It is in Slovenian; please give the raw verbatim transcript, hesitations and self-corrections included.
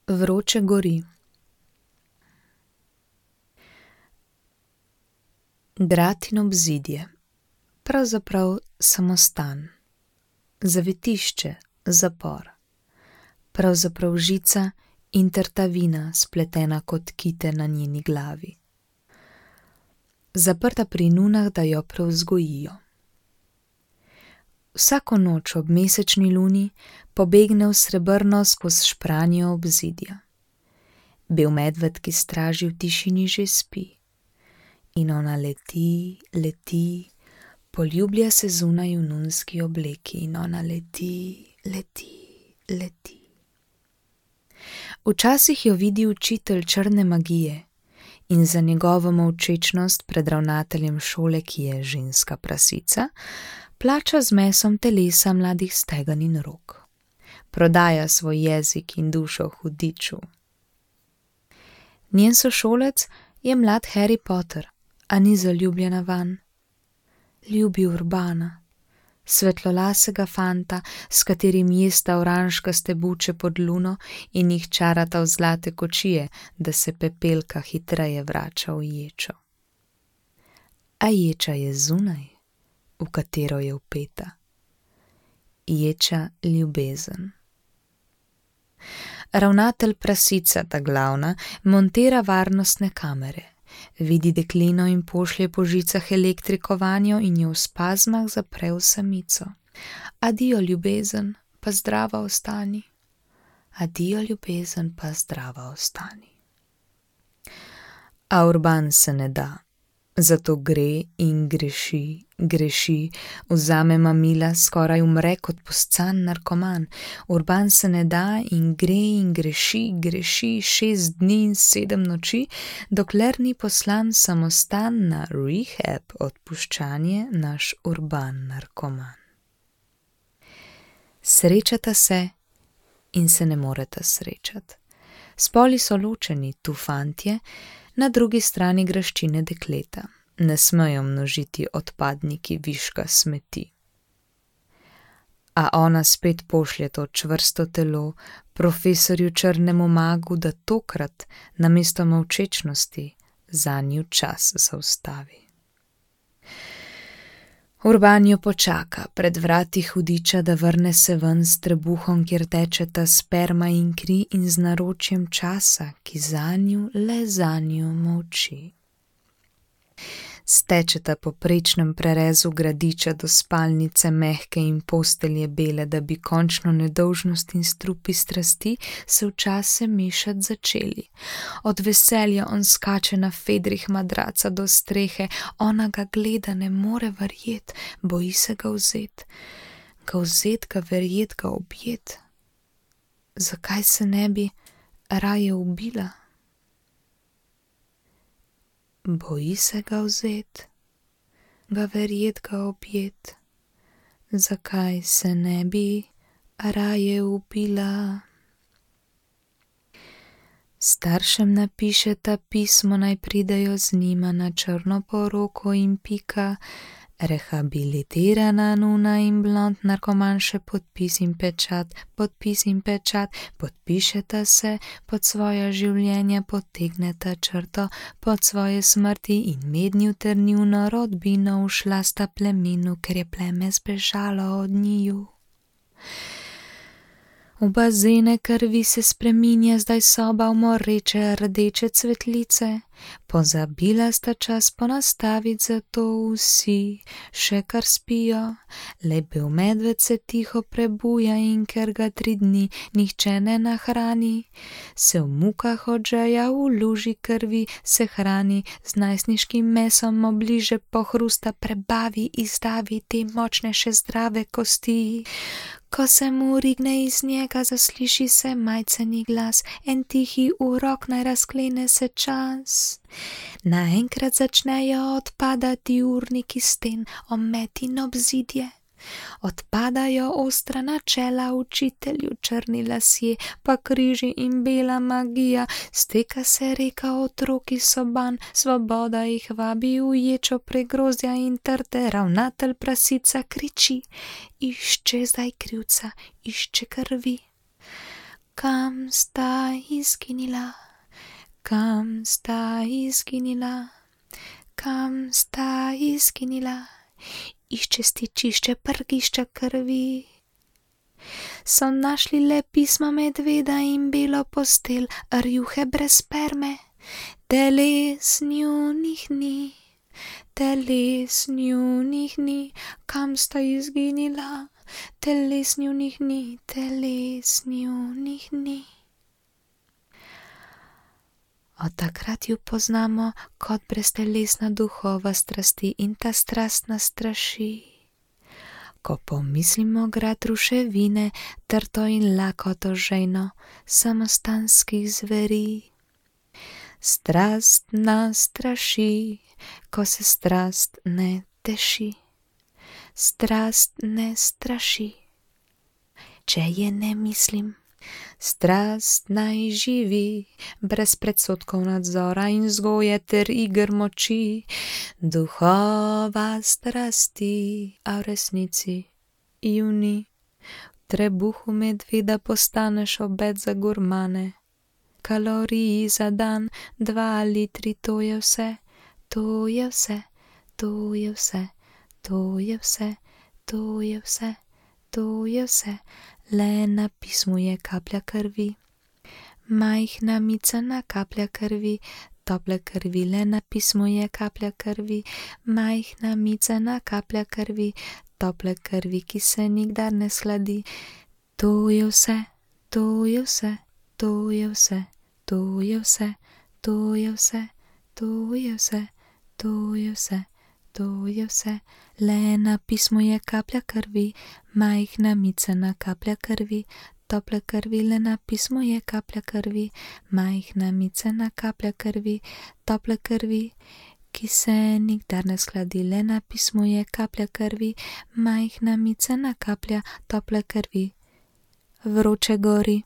Vroče gori. Grad in obzidje, pravzaprav samostan, zavetišče, zapor, pravzaprav žica in trtavina spletena kot kite na njeni glavi. Zaprta pri nunah, da jo prevzgojijo. Vsako noč ob mesečni luni pobegne v srebrno skozi špranjo obzidja. Bel medved, ki straži v tišini, že spi. In ona leti, leti, poljublja se zunaj v nunski obleki in ona leti, leti, leti. Včasih jo vidi učitelj črne magije in za njegovo molčečnost pred ravnateljem šole, ki je ženska prasica, plača z mesom telesa mladih stegan in rok. Prodaja svoj jezik in dušo hudiču. Njen sošolec je mlad Harry Potter, a ni zaljubljena vanj. Ljubi Urbana, svetlolasega fanta, s katerim jesta oranžkaste buče pod luno in jih čarata v zlate kočije, da se pepelka hitreje vrača v ječo. A ječa je zunaj, v katero je vpeta. Ječa ljubezen. Ravnatelj prasica, ta glavna, montira varnostne kamere. Vidi deklino in pošlje po žicah elektriko vanjo in jo v spazmah zapre v samico. Adijo ljubezen, pa zdrava ostani. Adijo ljubezen, pa zdrava ostani. A Urban se ne da. Zato gre in greši, greši, vzame mamila, skoraj umre kot poscan narkoman. Urban se ne da in gre in greši, greši šest dni in sedem noči, dokler ni poslan samostan na rehab odpuščanje naš Urban narkoman. Srečata se in se ne moreta srečati. Spoli so ločeni, tu fantje, na drugi strani graščine dekleta. Ne smejo množiti odpadniki viška smeti. A ona spet pošlje to čvrsto telo profesorju črnemu magu, da tokrat namesto molčečnosti zanju čas zaustavi. Urban jo počaka pred vrati hudiča, da vrne se ven s trebuhom, kjer tečeta sperma in kri, in z naročjem časa, ki zanju le zanju molči. Stečeta po prečnem prerezu gradiča do spalnice mehke in postelje bele, da bi končno nedolžnost in strupi strasti se včasih mešati začeli. Od veselja on skače na fedrih madraca do strehe, ona ga gleda, ne more verjet, boji se ga vzet. Ga vzet, ga verjet, ga objet. Zakaj se ne bi raje ubila? Boji se ga vzet, ga verjet, ga objet. Zakaj se ne bi raje ubila? Staršem napišeta pismo, naj pridejo z njima na črno poroko in pika. Rehabilitirana nuna in blond narkoman še podpis in pečat, podpis in pečat, podpišeta se pod svoja življenja, potegneta črto pod svoje smrti in mednju ter njuno rodbino ušla sta plemenu, ker je pleme zbežalo od njiju. V bazene krvi se spreminja zdaj soba v moreče rdeče cvetlice. Pozabila sta čas ponastaviti, zato vsi še kar spijo. Le bel medved se tiho prebuja in ker ga tri dni nihče ne nahrani, se v mukah od žeja v luži krvi se hrani, z najstniškim mesom obliže pohrusta, prebavi, izdavi te močne še zdrave kosti. Ko se mu rigne iz njega, zasliši se majceni glas, en tihi urok, naj razklene se čas. Naenkrat začnejo odpadati urniki sten, omet in obzidje. Odpadajo ostra načela učitelju, črni lasje, pa križi in bela magija. Steka se reka otroki soban, svoboda jih vabi v ječo pregrozja in trte. Ravnatelj prasica kriči, išče zdaj krivca, išče krvi. Kam sta izginila, kam sta izginila, kam sta izginila, išče stičišče, prgišča krvi. So našli le pisma medveda in belo postelj, rjuhe brez sperme, teles njunih ni, teles njunih ni, kam sta izginila, teles njunih ni, teles njunih ni. Od takrat ju poznamo kot breztelesna duhova strasti in ta strast nas straši. Ko pomislimo grad ruševine, trto in lakoto žejno samostanskih zveri. Strast nas straši, ko se strast ne teši. Strast ne straši, če je ne mislim. Strast naj živi, brez predsodkov nadzora in vzgoje ter iger moči. Duhova strasti, a v resnici ju ni. V trebuhu medveda postaneš obed za gurmane. Kaloriji za dan, dva litri, to je vse, to je vse, to je vse, to je vse, to je vse, to je vse. Le na pismu je kaplja krvi, majhna micana kaplja krvi, tople krvi. Le na pismu je kaplja krvi, majhna micana kaplja krvi, tople krvi, ki se nikdar ne sladi. To je vse, to je vse, to je vse, to je vse, to je vse, to je vse, to je vse. To je vse, le na pismu je kaplja krvi, majhna micana kaplja krvi, tople krvi. Le na pismu je kaplja krvi, majhna micana kaplja krvi, tople krvi, ki se nikdar ne shladi. Le na pismu je kaplja krvi, majhna micana kaplja, tople krvi. Vroče gori.